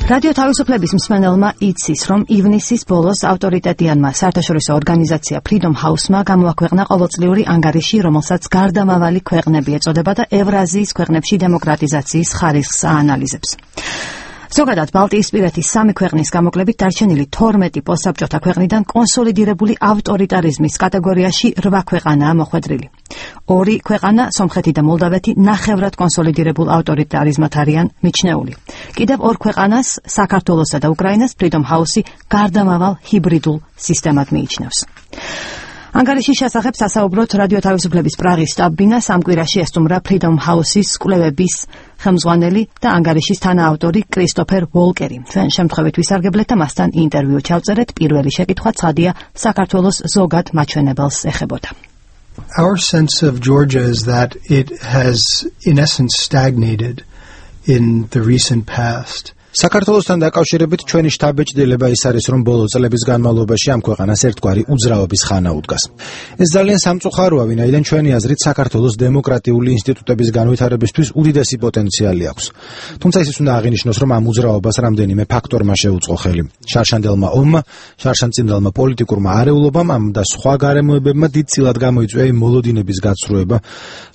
რადიო თავისუფლების მსმენელმა იცის, რომ ივნისის ბოლოს ავტორიტეტიანმა საერთაშორისო ორგანიზაცია Freedom House-მა გამოაქვეყნა ყოველწლიური ანგარიში, რომელსაც გარდამავალი ქვეყნები ეწოდება და ევრაზიის ქვეყნებში დემოკრატიზაციის ხარისხს აანალიზებს. ზოგადად ბალტიისპირეთის 3 ქვეყნის გამოკლებით დარჩენილი 12 პოსტსაბჭოთა ქვეყნიდან კონსოლიდირებული ავტორიტარიზმის კატეგორიაში 8 ქვეყანაა მოხვედრილი. 2 ქვეყანა, სომხეთი და მოლდავეთი, ნახევრად კონსოლიდირებულ ავტორიტარიზმად არიან მიჩნეული. კიდევ 2 ქვეყანას, საქართველოსა და უკრაინას, Freedom House-ი გარდამავალ ჰიბრიდულ სისტემად მიიჩნევს. ანგარიშის შესახებ სასაუბროთ რადიო თავისუფლების პრაღის შტაბ-ბინას ამ კვირაში ესტუმრა Freedom House-ის კვლევების ხელმძღვანელი და ანგარიშის თანაავტორი კრისტოფერ ვოლკერი. ჩვენ შემთხვევით ვისარგებლეთ და მასთან ინტერვიუ ჩავწერეთ. პირველი შეკითხვა ცხადია საქართველოს ზოგად მაჩვენებელს ეხებოდა. Our sense of Georgia is that it has, in essence, stagnated in the recent past. საქართველოსთან დაკავშირებით ჩვენი შთაბეჭდილება ის არის, რომ ბოლო წლების განმავლობაში ამ ქვეყანას ერთგვარი უძრაობის ხანა უდგას. ეს ძალიან სამწუხაროა, ვინაიდან ჩვენი აზრით საქართველოს დემოკრატიული ინსტიტუტების განვითარებისთვის უდიდესი პოტენციალი აქვს. თუმცა ის უნდა აღინიშნოს, რომ ამ უძრაობას რამდენიმე ფაქტორმა შეუწყო ხელი. შარშანდელმა ომმა, შარშანწმიდელმა პოლიტიკურმა არეულობამ და სხვა გარემოებებმა დიდწილად გამოიწვია იმ მოლოდინების გაცრუება,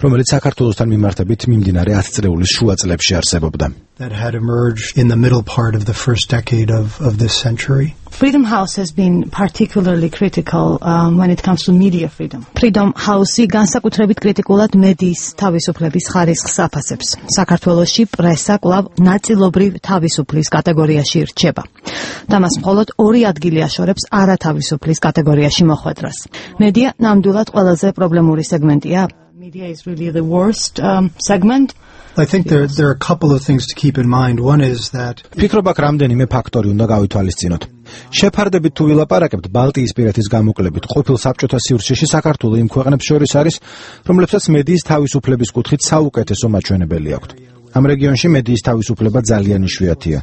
რომელიც საქართველოსთან მიმართებით მიმდინარე 10 წლების შუა წლებში არსებობდა. That had emerged in the middle part of the first decade of this century. Freedom House has been particularly critical when it comes to media freedom. Freedom House-ი განსაკუთრებით კრიტიკულად მედიის თავისუფლების ხარისხს აფასებს. საქართველოში პრესა კვლავ ნაწილობრივ თავისუფლის კატეგორიაში რჩება. და მას მხოლოდ 2 ადგილი აშორებს არათავისუფლის კატეგორიაში მოხვედრას. მედია ნამდვილად ყველაზე პრობლემური სეგმენტია. Media is really the worst segment. I think there are a couple of things to keep in mind. One is that ფიქრობ აქ რამდენიმე ფაქტორი უნდა გავითვალისწინოთ. შეფარდებით თუ ვილაპარაკებთ ბალტიისპირეთის გამოკლებით, ყოფილ საბჭოთა სივრცეში საქართველო იმ ქვეყნებს შორის არის, რომლებსაც მედიის თავისუფლების კუთხით საუკეთესო მაჩვენებელი აქვთ. ამ რეგიონში მედიის თავისუფლება ძალიან იშვიათია.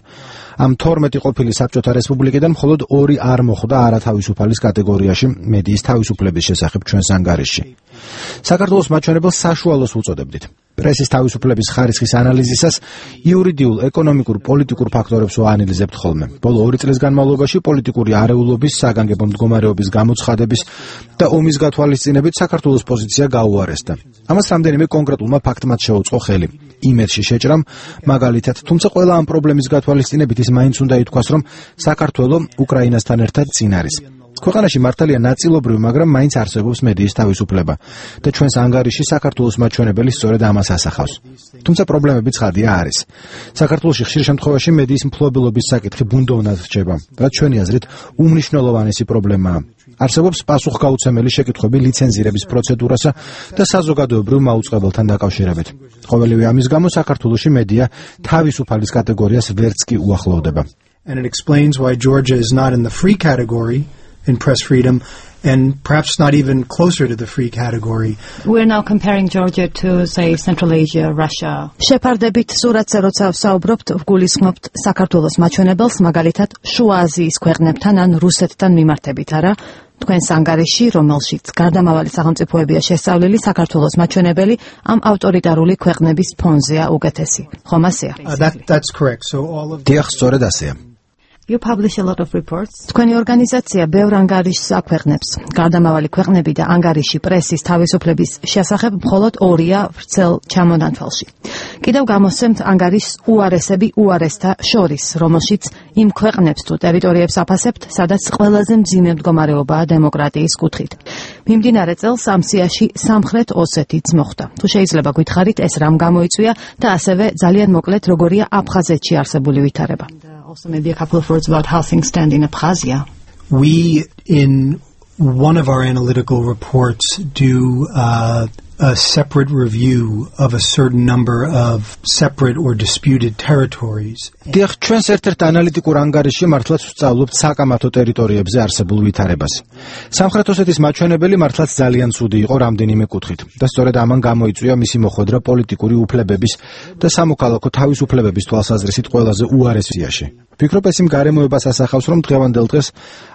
ამ 12 ყოფილი საბჭოთა რესპუბლიკიდან მხოლოდ 2 არ მოხვდა არათავისუფალის კატეგორიაში მედიის თავისუფლების შესახებ ჩვენს ანგარიშში. საქართველოს მაჩვენებელს საშუალოს უწოდებდით. პრესის თავისუფლების ხარისხის ანალიზისას იურიდიულ, ეკონომიკურ, პოლიტიკურ ფაქტორებს ვაანალიზებთ ხოლმე. ბოლო 2 წლის განმავლობაში პოლიტიკური არეულობის, საგანგებო მდგომარეობის გამოცხადების და ომის გათვალისწინებით საქართველოს პოზიცია გაუარესდა. ამას რამდენიმე კონკრეტულმა ფაქტმაც შეუწყო ხელი. იმედში შეჭრამ, მაგალითად, თუმცა ყველა ამ პრობლემის გათვალისწინებით ის მაინც უნდა ითქვას, რომ საქართველო უკრაინასთან ერთად წინ არის. ქვეყანაში მართალია ნაწილობრივ, მაგრამ მაინც არსებობს მედიის თავისუფლება და ჩვენს ანგარიში საქართველოს მაჩვენებელი სწორედ ამას ასახავს. თუმცა პრობლემები ცხადია არის. საქართველოში ხშირ შემთხვევაში მედიის მფლობელობის საკითხი ბუნდოვნად რჩება, რაც ჩვენი აზრით უმნიშვნელოვანესი პრობლემაა. არსებობს პასუხგაუცემელი შეკითხვები ლიცენზირების პროცედურასა და საზოგადოებრივ მაუწყებელთან დაკავშირებით. ყოველივე ამის გამო საქართველოში მედია თავისუფალის კატეგორიას ვერც კი უახლოვდება. And it explains why Georgia is not in the free category in press freedom and perhaps not even closer to the free category. We're now comparing Georgia to, say, Central Asia, Russia. შეფარდებით სურათზე როცა ვსაუბრობთ, ვგულისხმობთ საქართველოს მაჩვენებელს, მაგალითად, შუა აზიის ქვეყნებთან ან რუსეთთან მიმართებით, არა? თქვენს ანგარიში, რომელშიც გარდამავალი სახელმწიფოებია შესწავლილი, საქართველოს მაჩვენებელი ამ ავტორიტარული ქვეყნების ფონზეა უკეთესი. ხომ ასეა? That's correct. So all of დიახ, სწორედ ასეა. You publish a lot of reports. თქვენი ორგანიზაცია ბევრ ანგარიშს აქვეყნებს. გარდამავალი ქვეყნები და ანგარიში პრესის თავისუფლების შესახებ მხოლოდ 2-ია ვრცელ ჩამონათვალში. კიდევ გამოსცემთ ანგარიშს უარესები უარესთა შორის, რომელშიც იმ ქვეყნებს თუ ტერიტორიებს აფასებთ, სადაც ყველაზე მძიმე მდგომარეობაა დემოკრატიის კუთხით. მიმდინარე წელს ამ სიაში სამხრეთ ოსეთიც მოხვდა. თუ შეიძლება გითხარით, ეს რამ გამოიწვია და ასევე ძალიან მოკლედ როგორია აფხაზეთში არსებული ვითარება. Also maybe a couple of words about how things stand in Abkhazia. We, in one of our analytical reports, do a separate review of a certain number of separate or disputed territories. დიახ, ჩვენს ერთ-ერთ ანალიტიკურ ანგარიშში მართლაც ვსწავლობთ საკამათო ტერიტორიებზე არსებულ ვითარებას. სამხრეთ ოსეთის მაჩვენებელი მართლაც ძალიან ცუდი იყო რამდენიმე კუთხით და სწორედ ამან გამოიწვია მისი მოხვედრა პოლიტიკური უფლებების და სამოქალაქო თავისუფლებების თვალსაზრისით ყველაზე უარეს სიაში. ვფიქრობ, ეს იმ გარემოებას ასახავს, რომ დღევანდელ დღეს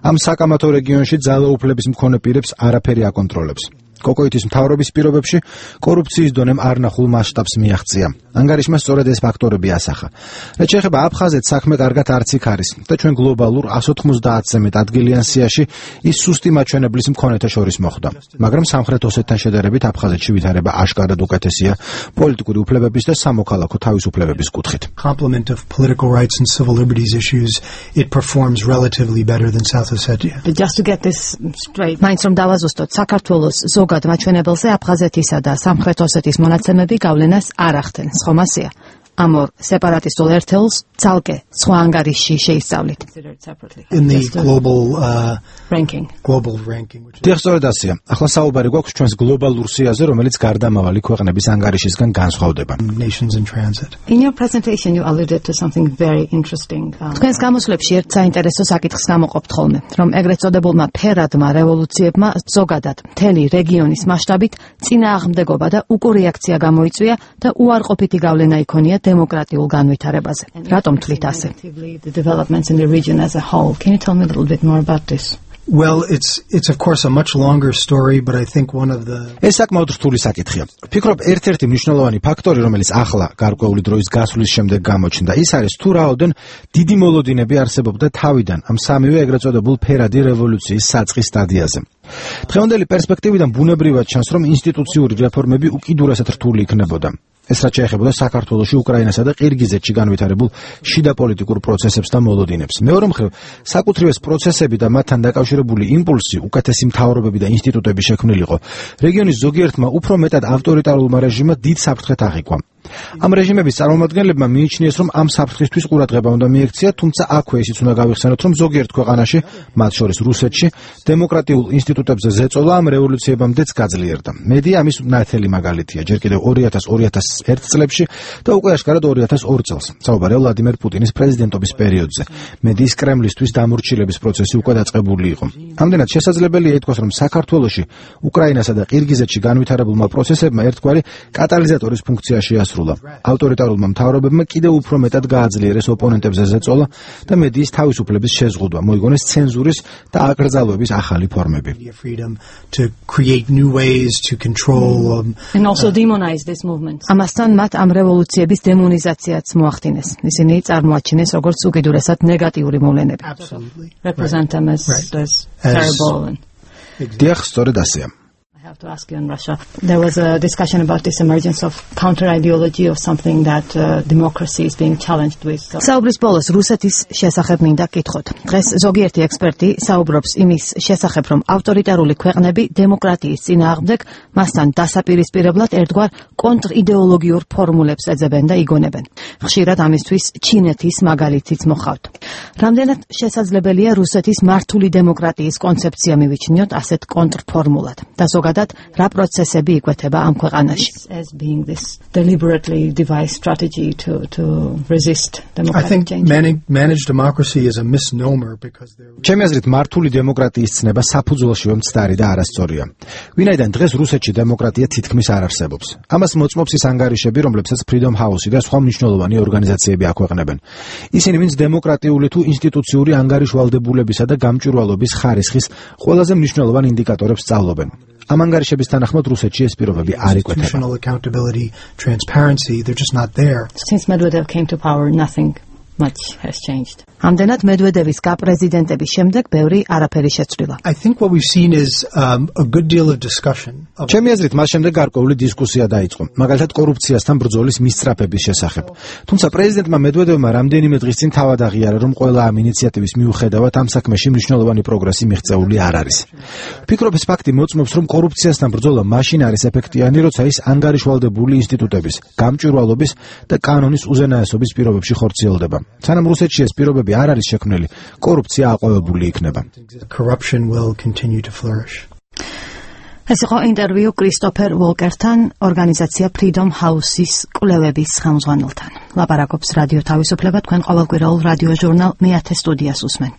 ამ საკამათო რეგიონში ძალაუფლების მქონე პირებს არაფერი აკონტროლებს. კოკოიტის მთავრობის პირობებში კორუფციის დონემ არნახულ მასშტაბს მიაღწია. ანგარიშმა სწორედ ეს ფაქტორები ასახა. რაც შეეხება აფხაზეთს, საქმე კარგად არც იქ არის და ჩვენ გლობალურ 190-ზე მეტ ადგილიან სიაში ის სუსტი მაჩვენებლის მქონეთა შორის მოხვდა. მაგრამ სამხრეთ ოსეთთან შედარებით აფხაზეთში ვითარება აშკარად უკეთესია პოლიტიკური უფლებების და სამოქალაქო თავისუფლებების კუთხით. Complement of political rights and civil liberties issues, it performs relatively better than South Ossetia. Just to get this straight, მაინც რომ დავაზუსტოთ, საქართველოს ზოგად მაჩვენებელზე აფხაზეთისა და სამხრეთ ოსეთის მონაცემები გავლენას არ ახდენს, ხომ ასეა? ამ ორ სეპარატისტულ ერთეულს ძალკე სხვა ანგარიშში შეისწავლით. In the global ranking. დიახ, სწორედ ასეა. ახლა საუბარი გვაქვს ჩვენს გლობალურ სიაზე, რომელიც გარდამავალი ქვეყნების ანგარიშისგან განსხვავდება. Nations in transit. In your presentation you alluded to something very interesting. თქვენს გამოსვლებში ერთ საინტერესო საკითხს გამოყოფთ ხოლმე, რომ ეგრეთ წოდებულმა ფერადმა რევოლუციებმა ზოგადად მთელი რეგიონის მასშტაბით წინააღმდეგობა და უკურეაქცია გამოიწვია და უარყოფითი გავლენა იქონია დემოკრატიულ განვითარებაზე. რატომ თვლით ასე? The developments in the region as a whole. Can you tell me a little bit more about this? Well, it's of course a much longer story, but I think one of the ეს საკმაოდ რთული საკითხია. ვფიქრობ, ერთ-ერთი მნიშვნელოვანი ფაქტორი, რომელიც ახლა გარკვეული დროის გასვლის შემდეგ გამოჩნდა, ის არის თუ რაოდენ დიდი მოლოდინები არსებობდა თავიდან ამ სამივე ეგრეთ წოდებულ ფერადი რევოლუციის საწყის სტადიაზე. დღევანდელი პერსპექტივიდან ბუნებრივად ჩანს, რომ ინსტიტუციური რეფორმები უკიდურესად რთული იქნებოდა. ეს რაც შეეხებოდა საქართველოში, უკრაინასა და ყირგიზეთში განვითარებულ შიდა პოლიტიკურ პროცესებს და მოლოდინებს. მეორე მხრივ, საკუთრივ ეს პროცესები და მათთან დაკავშირებული იმპულსი, უკეთესი მთავრობები და ინსტიტუტები შექმნილიყო. რეგიონის ზოგიერთმა უფრო მეტად ავტორიტარულმა რეჟიმმა დიდ საფრთხეთ აღიქვა. ამ რეჟიმების წარმომადგენლებმა მიიჩნიეს, რომ ამ საფრთხისთვის ყურადღება უნდა მიექცია, თუმცა აქვე ისიც უნდა გავიხსენოთ, რომ ზოგიერთ ქვეყანაში, მათ შორის რუსეთში, დემოკრატიულ ინსტიტუტებზე ზეწოლა ამ რევოლუციებამდეც გაძლიერდა. მედია ამის ნათელი მაგალითია, ჯერ კიდევ 2000-2001 წლებში და უკვე აშკარად 2002 წელს. საუბარია ვლადიმერ პუტინის პრეზიდენტობის პერიოდზე. მედიის კრემლისთვის დამორჩილების პროცესი უკვე დაწყებული იყო. ამდენად შესაძლებელია ითქვას, რომ საქართველოში, უკრაინასა და ყირგიზეთში განვითარებულმა პროცესებმა ერთგვარი კატალიზატორის ფუნქცია შეასრულა. ავტორიტარულმა მთავრობებმა კიდევ უფრო მეტად გააძლიერეს ოპონენტებზე ზეწოლა და მედიის თავისუფლების შეზღუდვა, მოიგონეს ცენზურის და აკრძალვების ახალი ფორმები. And also demonize this movement. ამასთან მათ ამ რევოლუციების დემონიზაციაც მოახდინეს. ისინი წარმოაჩინეს როგორც უკიდურესად ნეგატიური მოვლენები. Represent them as terrible. დიახ, სწორედ ასეა. I have to ask you on Russia. There was a discussion about this emergence of counter-ideology of something that democracy is being challenged with. საუბრის ბოლოს რუსეთის შესახებ მინდა კითხოთ. დღეს ზოგიერთი ექსპერტი საუბრობს იმის შესახებ, რომ ავტორიტარული ქვეყნები დემოკრატიის წინააღმდეგ მასთან დასაპირისპირებლად ერთგვარ კონტრიდეოლოგიურ ფორმულებს ეძებენ და იგონებენ. ხშირად ამისთვის ჩინეთის მაგალითიც მოხავთ. რამდენად შესაძლებელია რუსეთის მართული დემოკრატიის კონცეფცია მივიჩნიოთ ასეთ კონტრფორმულად და ზოგადად რა პროცესები იკვეთება ამ ქვეყანაში? As being this deliberately devised strategy to resist democratic change. I think managed democracy is a misnomer because ჩემი აზრით მართული დემოკრატიის ცნება საფუძველშივე მცდარი და არასწორია. ვინაიდან დღეს რუსეთში დემოკრატია თითქმის არ არსებობს. ამას მოწმობს ის ანგარიშები, რომლებსაც Freedom House და სხვა მნიშვნელოვანი ორგანიზაციები აქვეყნებენ. ისინი ვინც დემოკრატიული თუ ინსტიტუციური ანგარიშვალდებულებისა და გამჭვირვალობის ხარისხის ყველაზე მნიშვნელოვან ინდიკატორებს სწავლობენ. ამ ანგარიშების თანახმად რუსეთში ეს პირობები არ იკვეთება. Since Medvedev came to power, nothing much has changed. ამდენად მედვედევის გაპრეზიდენტების შემდეგ ბევრი არაფერი შეცვლილა. I think what we've seen is a good deal of discussion. ჩემი აზრით, მას შემდეგ გარკვეული დისკუსია დაიწყო, მაგალითად კორუფციასთან ბრძოლის მისწრაფების შესახებ. თუმცა პრეზიდენტმა მედვედევმა რამდენიმე დღის წინ თავად აღიარა, რომ ყველა ამ ინიციატივის მიუხედავად ამ საქმეში მნიშვნელოვანი პროგრესი მიღწეული არ არის. ვფიქრობ, ეს ფაქტი მოწმობს, რომ კორუფციასთან ბრძოლა მაშინ არის ეფექტიანი, როცა ის ანგარიშვალდებული ინსტიტუტების, გამჭვირვალობის და კანონის უზენაესობის პირობებში ხორციელდება. სანამ რუსეთში ეს პირობები არ არის შექმნილი, კორუფცია აყვავებული იქნება. Corruption will continue to flourish. ეს იყო ინტერვიუ კრისტოფერ ვოლკერთან, ორგანიზაცია Freedom House-ის კვლევების ხელმძღვანელთან. ლაპარაკობს რადიო თავისუფლება, თქვენ ყოველკვირეულ რადიო ჟურნალ მეათე სტუდიას უსმენთ.